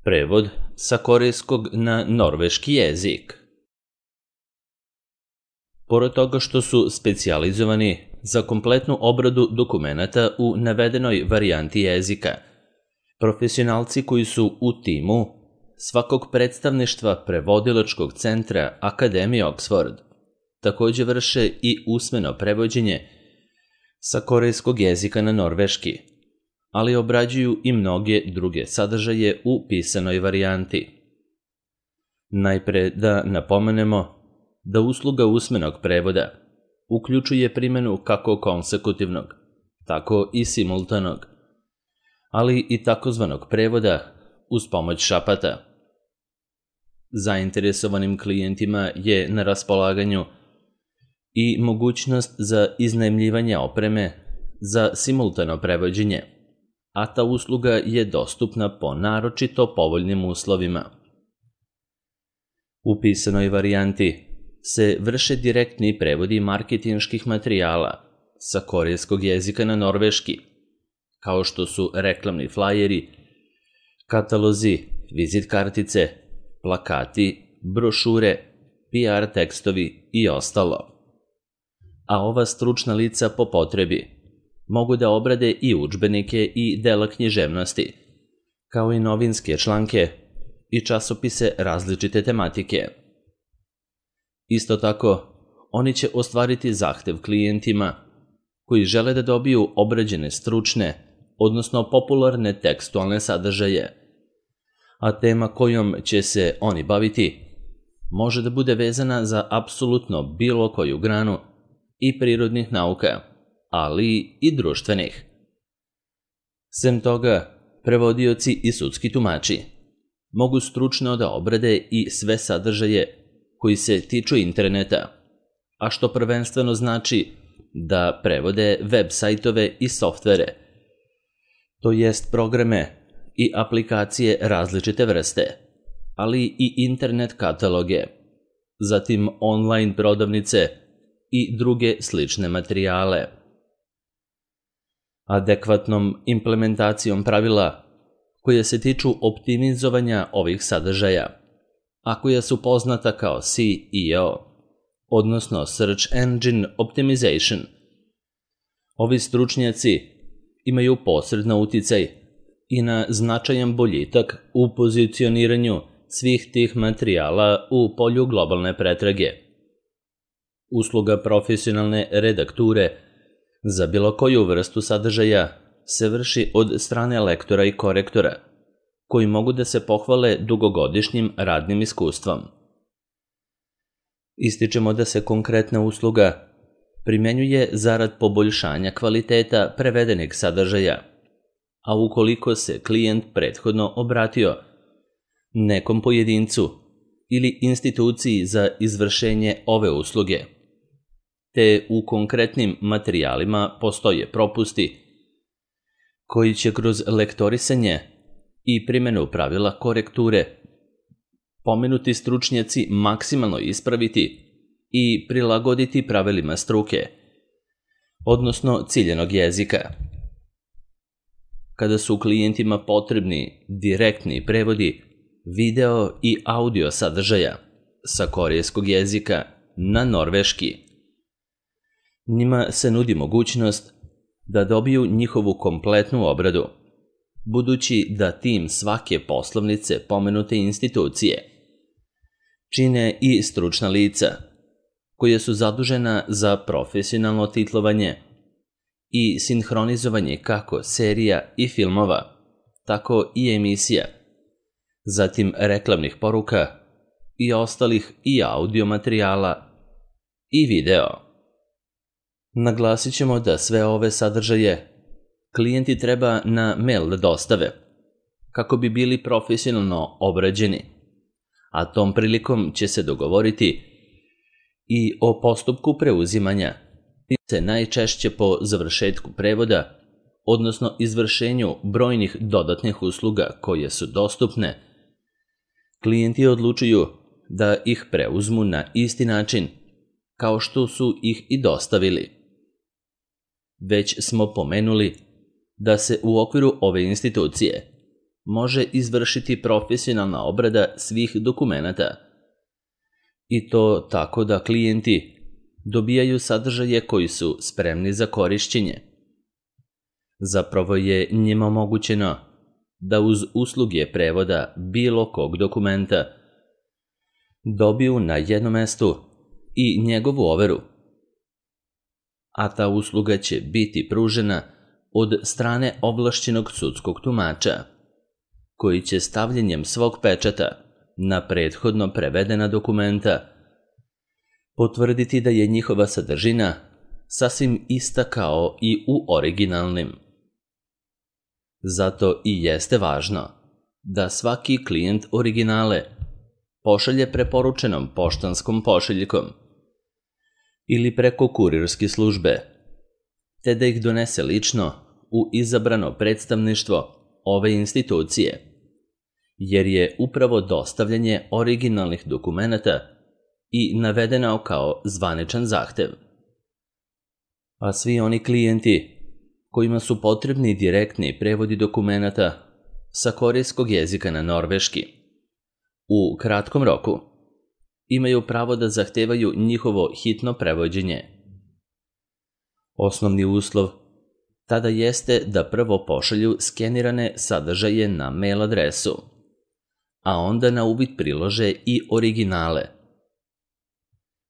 Prevod sa korejskog na norveški jezik. Pored toga što su specijalizovani za kompletnu obradu dokumenata u navedenoj varijanti jezika, profesionalci koji su u timu svakog predstavništva prevodilačkog centra Akademije Oxford takođe vrše i usmeno prevođenje sa korejskog jezika na norveški, ali obrađuju i mnoge druge sadržaje u pisanoj varijanti. Najpre da napomenemo da usluga usmenog prevoda uključuje primjenu kako konsekutivnog, tako i simultanog, ali i takozvanog prevoda uz pomoć šapata. Zainteresovanim klijentima je na raspolaganju i mogućnost za iznajmljivanje opreme za simultano prevođenje, a ta usluga je dostupna po naročito povoljnim uslovima. U pisanoj varijanti se vrše direktni prevodi marketinških materijala sa korejskog jezika na norveški, kao što su reklamni flajeri, katalozi, vizit kartice, plakati, brošure, PR tekstovi i ostalo. A ova stručna lica po potrebi mogu da obrade i udžbenike i dela književnosti, kao i novinske članke i časopise različite tematike. Isto tako, oni će ostvariti zahtev klijentima koji žele da dobiju obrađene stručne, odnosno popularne tekstualne sadržaje, a tema kojom će se oni baviti može da bude vezana za apsolutno bilo koju granu i prirodnih nauka, ali i društvenih. Sem toga, prevodioci i sudski tumači mogu stručno da obrade i sve sadržaje koji se tiču interneta, a što prvenstveno znači da prevode web sajtove i softvere, to jest programe i aplikacije različite vrste, ali i internet kataloge, zatim online prodavnice i druge slične materijale. Adekvatnom implementacijom pravila koje se tiču optimizovanja ovih sadržaja, a koja su poznata kao SEO, odnosno Search Engine Optimization, ovi stručnjaci imaju posredno uticaj i na značajan boljitak u pozicioniranju svih tih materijala u polju globalne pretrage. Usluga profesionalne redakture za bilo koju vrstu sadržaja se vrši od strane lektora i korektora, koji mogu da se pohvale dugogodišnjim radnim iskustvom. Ističemo da se konkretna usluga primenjuje zarad poboljšanja kvaliteta prevedenih sadržaja, a ukoliko se klijent prethodno obratio nekom pojedincu ili instituciji za izvršenje ove usluge, te u konkretnim materijalima postoje propusti koji će kroz lektorisanje i primjenu pravila korekture pomenuti stručnjaci maksimalno ispraviti i prilagoditi pravilima struke, odnosno ciljanog jezika. Kada su klijentima potrebni direktni prevodi video i audio sadržaja sa korejskog jezika na norveški, njima se nudi mogućnost da dobiju njihovu kompletnu obradu, budući da tim svake poslovnice pomenute institucije čine i stručna lica koja su zadužena za profesionalno titlovanje i sinhronizovanje kako serija i filmova, tako i emisija, zatim reklamnih poruka i ostalih i audio materijala i video. Naglasit ćemo da sve ove sadržaje klijenti treba na mail da dostave, kako bi bili profesionalno obrađeni, a tom prilikom će se dogovoriti i o postupku preuzimanja, se najčešće po završetku prevoda, odnosno izvršenju brojnih dodatnih usluga koje su dostupne, klijenti odlučuju da ih preuzmu na isti način kao što su ih i dostavili. Već smo pomenuli da se u okviru ove institucije može izvršiti profesionalna obrada svih dokumenata. I to tako da klijenti dobijaju sadržaje koji su spremni za korišćenje. Zapravo je njima omogućeno da uz usluge prevoda bilo kog dokumenta dobiju na jednom mestu i njegovu overu. A ta usluga će biti pružena od strane ovlašćenog sudskog tumača, koji će stavljanjem svog pečata na prethodno prevedena dokumenta potvrditi da je njihova sadržina sasvim ista kao i u originalnim. Zato i jeste važno da svaki klijent originale pošalje preporučenom poštanskom pošiljkom ili preko kurirske službe, te da ih donese lično u izabrano predstavništvo ove institucije, jer je upravo dostavljanje originalnih dokumenata i navedeno kao zvaničan zahtev. A svi oni klijenti kojima su potrebni direktni prevodi dokumenata sa korejskog jezika na norveški u kratkom roku imaju pravo da zahtevaju njihovo hitno prevođenje. Osnovni uslov tada jeste da prvo pošalju skenirane sadržaje na mail adresu, a onda na uvid prilože i originale.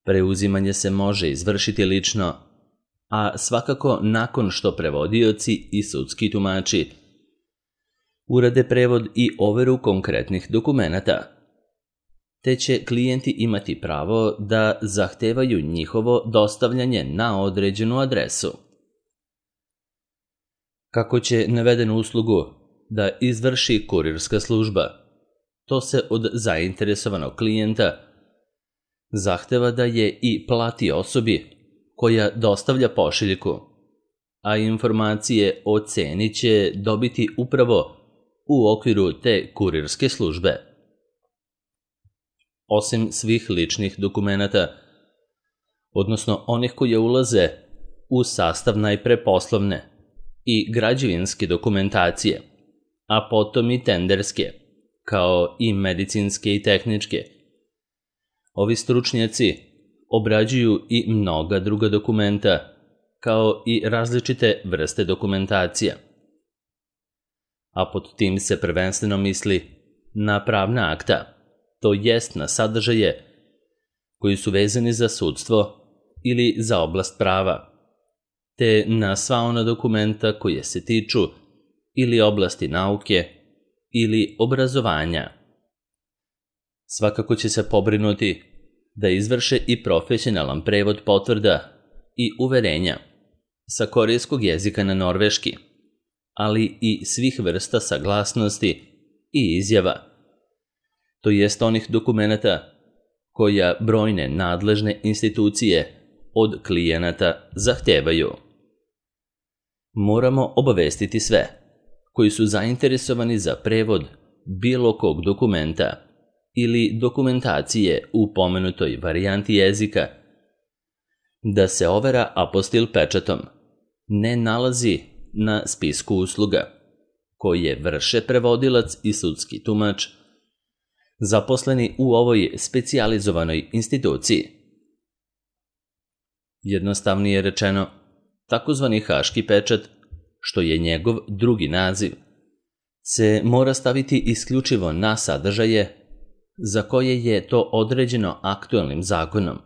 Preuzimanje se može izvršiti lično, a svakako nakon što prevodioci i sudski tumači urade prevod i overu konkretnih dokumenata, te će klijenti imati pravo da zahtevaju njihovo dostavljanje na određenu adresu. Kako će navedenu uslugu da izvrši kurirska služba, to se od zainteresovanog klijenta zahteva da je i plati osobi koja dostavlja pošiljku, a informacije o ceni će dobiti upravo u okviru te kurirske službe. Osim svih ličnih dokumenata, odnosno onih koje ulaze u sastav najpre poslovne i građevinske dokumentacije, a potom i tenderske, kao i medicinske i tehničke, ovi stručnjaci obrađuju i mnoga druga dokumenta, kao i različite vrste dokumentacija. A pod tim se prvenstveno misli na pravna akta, to jest na sadržaje koji su vezani za sudstvo ili za oblast prava, te na sva ona dokumenta koje se tiču ili oblasti nauke ili obrazovanja. Svakako će se pobrinuti da izvrše i profesionalan prevod potvrda i uverenja sa korejskog jezika na norveški, ali i svih vrsta saglasnosti i izjava, to jest onih dokumenata koja brojne nadležne institucije od klijenata zahtevaju. Moramo obavestiti sve koji su zainteresovani za prevod bilo kog dokumenta ili dokumentacije u pomenutoj varijanti jezika da se overa apostil pečatom ne nalazi na spisku usluga koje vrše prevodilac i sudski tumač zaposleni u ovoj specijalizovanoj instituciji. Jednostavnije rečeno, takozvani haški pečat, što je njegov drugi naziv, se mora staviti isključivo na sadržaje za koje je to određeno aktualnim zakonom.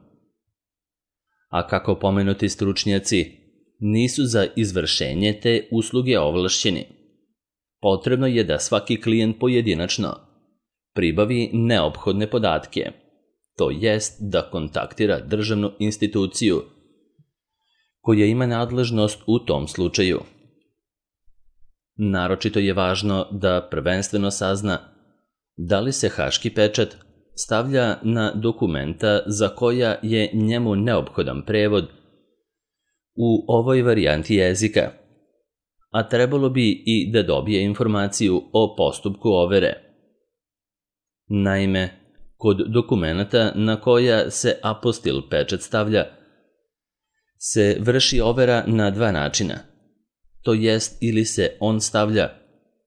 A kako pomenuti stručnjaci nisu za izvršenje te usluge ovlašćeni, potrebno je da svaki klijent pojedinačno pribavi neophodne podatke, to jest da kontaktira državnu instituciju koja ima nadležnost u tom slučaju. Naročito je važno da prvenstveno sazna da li se haški pečat stavlja na dokumenta za koja je njemu neophodan prevod u ovoj varijanti jezika, a trebalo bi i da dobije informaciju o postupku overe. Naime, kod dokumenata na koja se apostil pečat stavlja se vrši overa na dva načina, to jest ili se on stavlja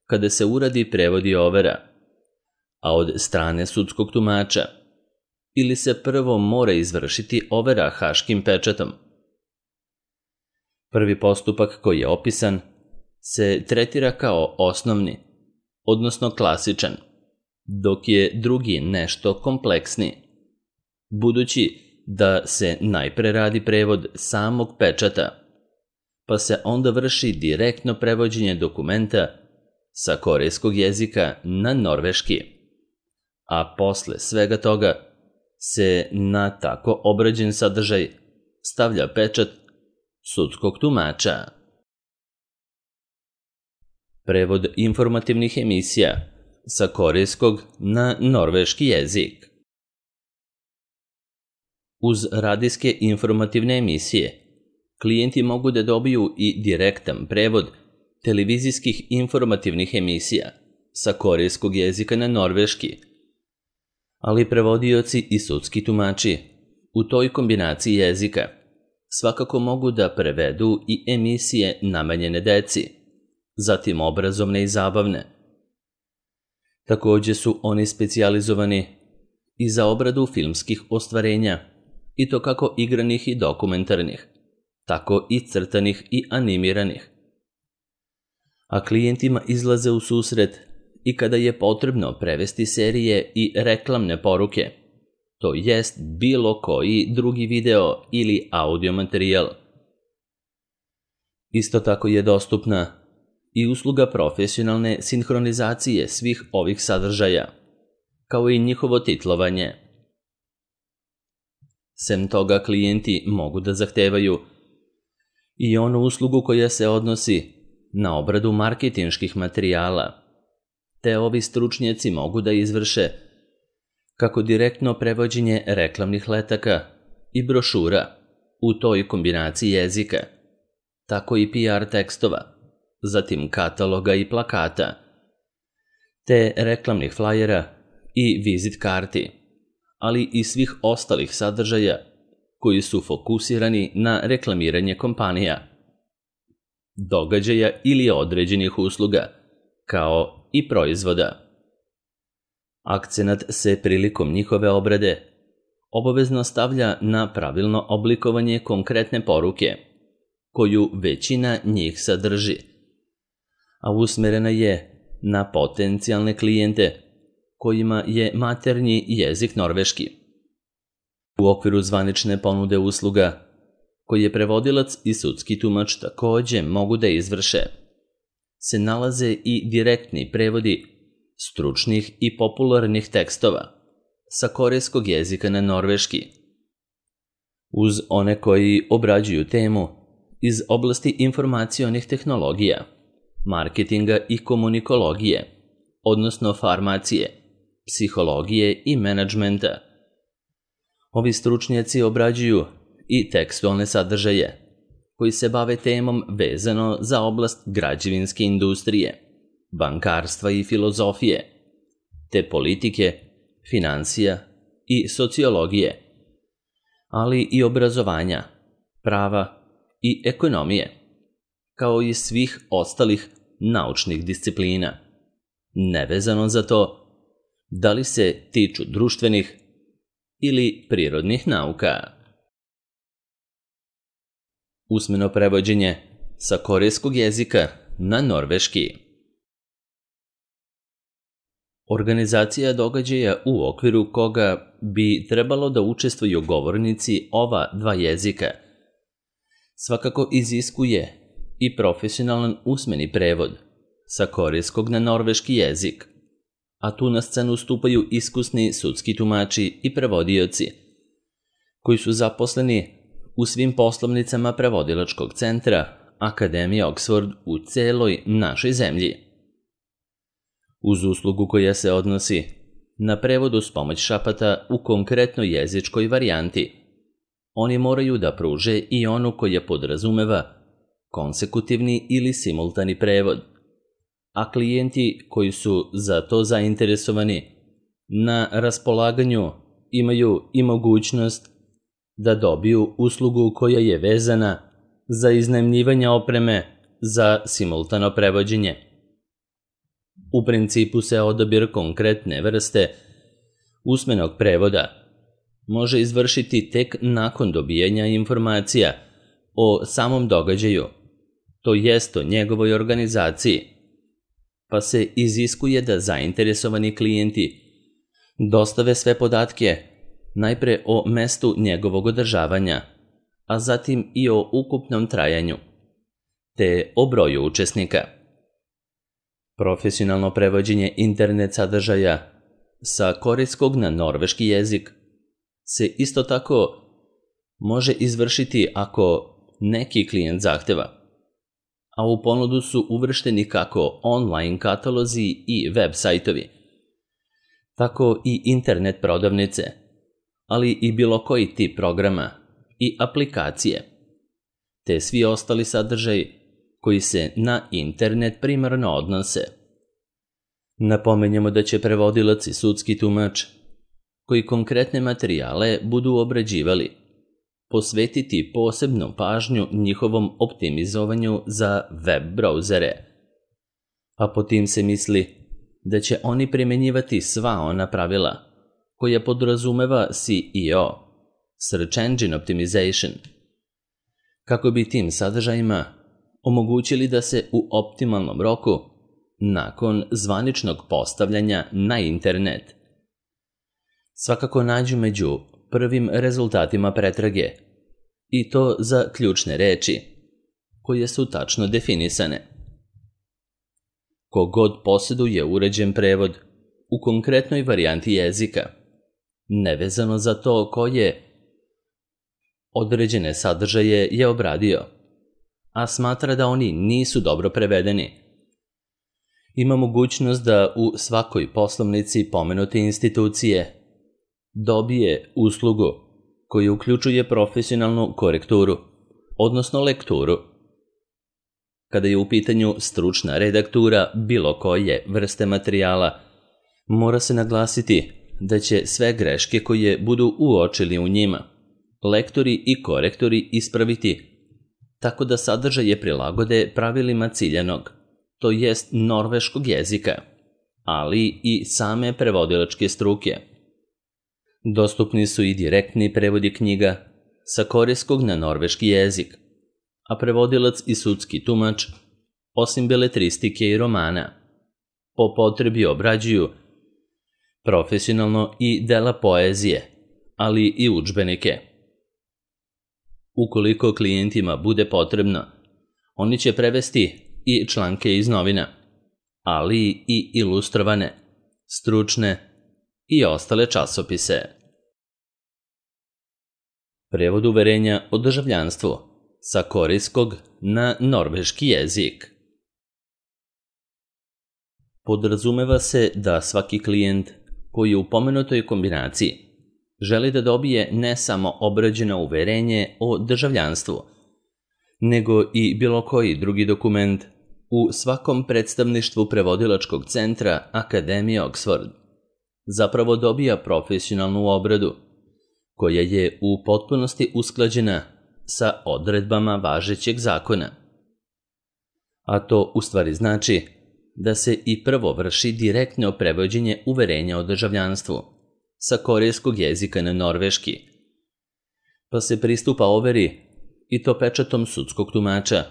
kada se uradi prevod i overa, a od strane sudskog tumača, ili se prvo mora izvršiti overa haškim pečatom. Prvi postupak koji je opisan se tretira kao osnovni, odnosno klasičan, dok je drugi nešto kompleksniji, budući da se najpre radi prevod samog pečata, pa se onda vrši direktno prevođenje dokumenta sa korejskog jezika na norveški, a posle svega toga se na tako obrađen sadržaj stavlja pečat sudskog tumača. Prevod informativnih emisija sa korejskog na norveški jezik. Uz radijske informativne emisije, klijenti mogu da dobiju i direktan prevod televizijskih informativnih emisija sa korejskog jezika na norveški, ali prevodioci i sudski tumači u toj kombinaciji jezika svakako mogu da prevedu i emisije namenjene deci, zatim obrazovne i zabavne. Takođe su oni specijalizovani i za obradu filmskih ostvarenja, i to kako igranih i dokumentarnih, tako i crtanih i animiranih. A klijentima izlaze u susret i kada je potrebno prevesti serije i reklamne poruke, to jest bilo koji drugi video ili audio materijal. Isto tako je dostupna i usluga profesionalne sinhronizacije svih ovih sadržaja, kao i njihovo titlovanje. Sem toga, klijenti mogu da zahtevaju i onu uslugu koja se odnosi na obradu marketinških materijala, te ovi stručnjaci mogu da izvrše kako direktno prevođenje reklamnih letaka i brošura u toj kombinaciji jezika, tako i PR tekstova, zatim kataloga i plakata, te reklamnih flajera i vizit karti, ali i svih ostalih sadržaja koji su fokusirani na reklamiranje kompanija, događaja ili određenih usluga, kao i proizvoda. Akcenat se prilikom njihove obrade obavezno stavlja na pravilno oblikovanje konkretne poruke, koju većina njih sadrži, a usmerena je na potencijalne klijente kojima je maternji jezik norveški. U okviru zvanične ponude usluga, koje prevodilac i sudski tumač takođe mogu da izvrše, se nalaze i direktni prevodi stručnih i popularnih tekstova sa korejskog jezika na norveški, uz one koji obrađuju temu iz oblasti informacionih tehnologija, marketinga i komunikologije, odnosno farmacije, psihologije i menadžmenta. Ovi stručnjaci obrađuju i tekstualne sadržaje koji se bave temom vezano za oblast građevinske industrije, bankarstva i filozofije, te politike, finansija i sociologije, ali i obrazovanja, prava i ekonomije, kao i svih ostalih naučnih disciplina, nevezano za to da li se tiču društvenih ili prirodnih nauka. Usmeno prevođenje sa korejskog jezika na norveški. Organizacija događaja u okviru koga bi trebalo da učestvuju govornici ova dva jezika svakako iziskuje i profesionalan usmeni prevod sa korejskog na norveški jezik, a tu na scenu stupaju iskusni sudski tumači i prevodioci, koji su zaposleni u svim poslovnicama prevodilačkog centra Akademije Oxford u celoj našoj zemlji. Uz uslugu koja se odnosi na prevod uz pomoć šapata u konkretnoj jezičkoj varijanti, oni moraju da pruže i onu koja podrazumeva konsekutivni ili simultani prevod, a klijenti koji su za to zainteresovani na raspolaganju imaju i mogućnost da dobiju uslugu koja je vezana za iznajmljivanje opreme za simultano prevođenje. U principu se odabir konkretne vrste usmenog prevoda može izvršiti tek nakon dobijanja informacija o samom događaju, to jest o njegovoj organizaciji, pa se iziskuje da zainteresovani klijenti dostave sve podatke najpre o mestu njegovog održavanja, a zatim i o ukupnom trajanju, te o broju učesnika. Profesionalno prevođenje internet sadržaja sa korejskog na norveški jezik se isto tako može izvršiti ako neki klijent zahteva, a u ponudu su uvršteni kako online katalozi i web sajtovi, tako i internet prodavnice, ali i bilo koji tip programa i aplikacije, te svi ostali sadržaji koji se na internet primarno odnose. Napomenjamo da će prevodilac i sudski tumač, koji konkretne materijale budu obrađivali, posvetiti posebnu pažnju njihovom optimizovanju za web brauzere, a po tim se misli da će oni primjenjivati sva ona pravila koja podrazumeva SEO, Search Engine Optimization, kako bi tim sadržajima omogućili da se u optimalnom roku, nakon zvaničnog postavljanja na internet, svakako nađu među prvim rezultatima pretrage, i to za ključne reči, koje su tačno definisane. Kogod posjeduje uređen prevod u konkretnoj varijanti jezika, nevezano za to koje određene sadržaje je obradio, a smatra da oni nisu dobro prevedeni, ima mogućnost da u svakoj poslovnici pomenute institucije dobije uslugu koja uključuje profesionalnu korekturu, odnosno lekturu. Kada je u pitanju stručna redaktura bilo koje vrste materijala, mora se naglasiti da će sve greške koje budu uočili u njima lektori i korektori ispraviti tako da sadržaje prilagode pravilima ciljanog, to jest norveškog jezika, ali i same prevodilačke struke. Dostupni su i direktni prevodi knjiga sa korejskog na norveški jezik, a prevodilac i sudski tumač, osim beletristike i romana, po potrebi obrađuju profesionalno i dela poezije, ali i udžbenike. Ukoliko klijentima bude potrebno, oni će prevesti i članke iz novina, ali i ilustrovane, stručne i ostale časopise. Prevod uverenja o državljanstvu sa korejskog na norveški jezik. Podrazumeva se da svaki klijent koji u pomenutoj kombinaciji želi da dobije ne samo obrađeno uverenje o državljanstvu, nego i bilo koji drugi dokument u svakom predstavništvu prevodilačkog centra Akademije Oxford, zapravo dobija profesionalnu obradu, koja je u potpunosti usklađena sa odredbama važećeg zakona. A to u stvari znači da se i prvo vrši direktno prevođenje uverenja o državljanstvu sa korejskog jezika na norveški, pa se pristupa overi i to pečatom sudskog tumača,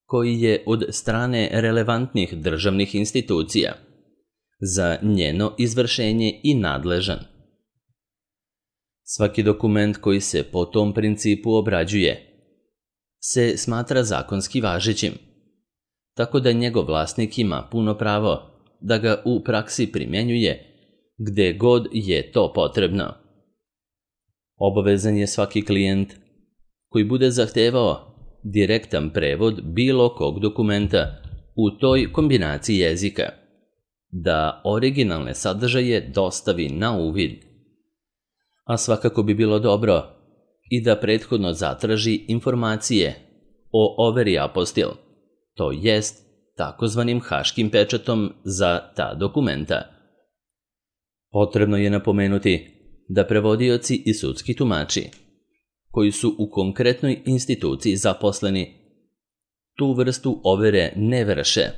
koji je od strane relevantnih državnih institucija za njeno izvršenje i nadležan. Svaki dokument koji se po tom principu obrađuje se smatra zakonski važećim, tako da njegov vlasnik ima puno pravo da ga u praksi primjenjuje gde god je to potrebno. Obavezan je svaki klijent koji bude zahtevao direktan prevod bilo kog dokumenta u toj kombinaciji jezika, da originalne sadržaje dostavi na uvid, a svakako bi bilo dobro i da prethodno zatraži informacije o overi apostil, to jest takozvanim haškim pečatom za ta dokumenta. Potrebno je napomenuti da prevodioci i sudski tumači, koji su u konkretnoj instituciji zaposleni, tu vrstu overe ne vrše,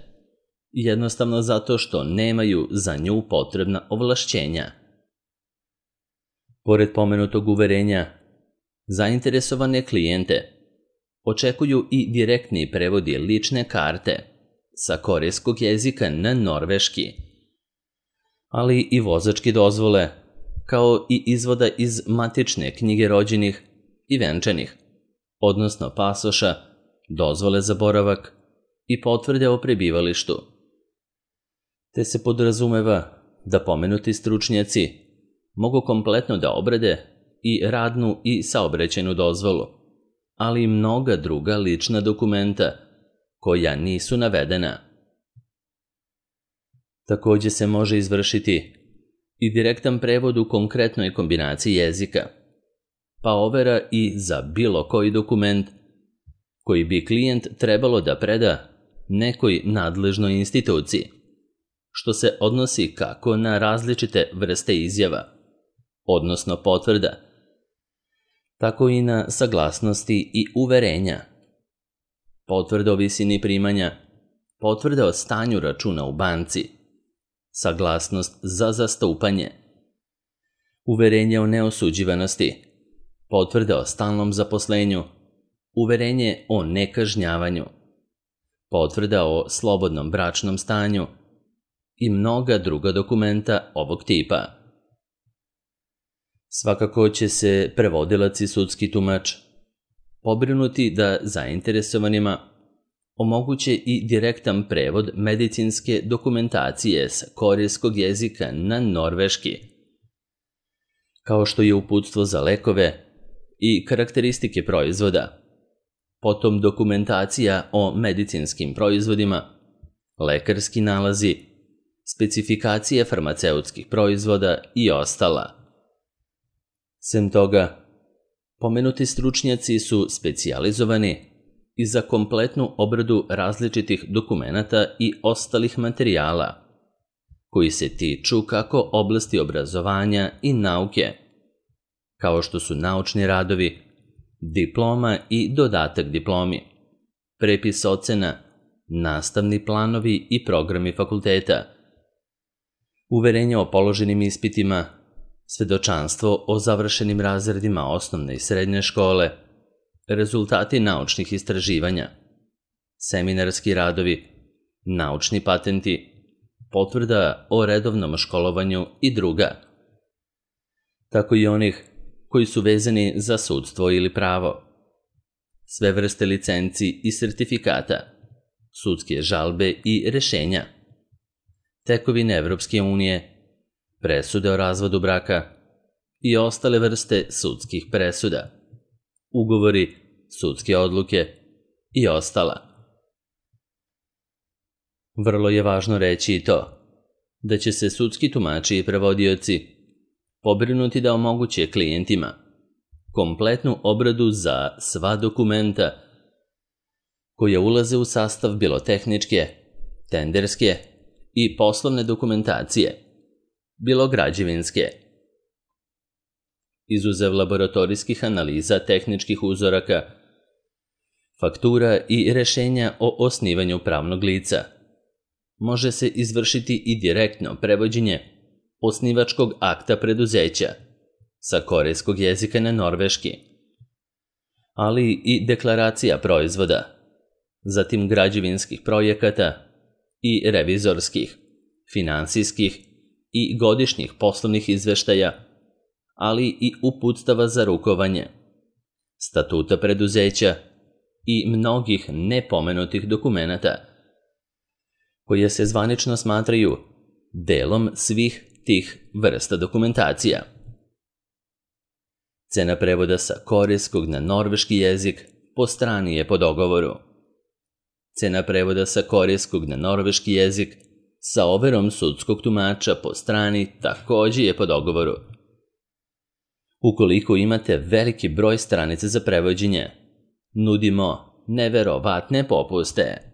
jednostavno zato što nemaju za nju potrebna ovlašćenja. Pored pomenutog uverenja, zainteresovane klijente očekuju i direktni prevodi lične karte sa korejskog jezika na norveški, ali i vozačke dozvole, kao i izvoda iz matične knjige rođenih i venčanih, odnosno pasoša, dozvole za boravak i potvrde o prebivalištu. Te se podrazumeva da pomenuti stručnjaci mogu kompletno da obrade i radnu i saobraćajnu dozvolu, ali i mnoga druga lična dokumenta koja nisu navedena. Takođe se može izvršiti i direktan prevod u konkretnoj kombinaciji jezika, pa overa i za bilo koji dokument koji bi klijent trebalo da preda nekoj nadležnoj instituciji, što se odnosi kako na različite vrste izjava, odnosno potvrda, tako i na saglasnosti i uverenja, potvrda o visini primanja, potvrda o stanju računa u banci, saglasnost za zastupanje, uverenje o neosuđivanosti, potvrda o stalnom zaposlenju, uverenje o nekažnjavanju, potvrda o slobodnom bračnom stanju i mnoga druga dokumenta ovog tipa. Svakako će se prevodilac i sudski tumač pobrinuti da zainteresovanima omoguće i direktan prevod medicinske dokumentacije sa korejskog jezika na norveški, kao što je uputstvo za lekove i karakteristike proizvoda, potom dokumentacija o medicinskim proizvodima, lekarski nalazi, specifikacije farmaceutskih proizvoda i ostala. Sem toga, pomenuti stručnjaci su specijalizovani i za kompletnu obradu različitih dokumenata i ostalih materijala, koji se tiču kako oblasti obrazovanja i nauke, kao što su naučni radovi, diploma i dodatak diplomi, prepis ocena, nastavni planovi i programi fakulteta, uverenje o položenim ispitima, svedočanstvo o završenim razredima osnovne i srednje škole, rezultati naučnih istraživanja, seminarski radovi, naučni patenti, potvrda o redovnom školovanju i druga, tako i onih koji su vezani za sudstvo ili pravo, sve vrste licenci i sertifikata, sudske žalbe i rešenja, tekovine Evropske unije, presude o razvodu braka i ostale vrste sudskih presuda, ugovori, sudske odluke i ostala. Vrlo je važno reći i to da će se sudski tumači i prevodioci pobrinuti da omoguće klijentima kompletnu obradu za sva dokumenta koje ulaze u sastav bilo tehničke, tenderske i poslovne dokumentacije, bilo građevinske. Izuzev laboratorijskih analiza tehničkih uzoraka, faktura i rešenja o osnivanju pravnog lica, može se izvršiti i direktno prevođenje osnivačkog akta preduzeća sa korejskog jezika na norveški, ali i deklaracija proizvoda, zatim građevinskih projekata i revizorskih, finansijskih i godišnjih poslovnih izveštaja, ali i uputstava za rukovanje, statuta preduzeća i mnogih nepomenutih dokumenata, koje se zvanično smatraju delom svih tih vrsta dokumentacija. Cena prevoda sa korejskog na norveški jezik po strani je po dogovoru. Cena prevoda sa korejskog na norveški jezik sa overom sudskog tumača po strani takođe je po dogovoru. Ukoliko imate veliki broj stranica za prevođenje, nudimo neverovatne popuste.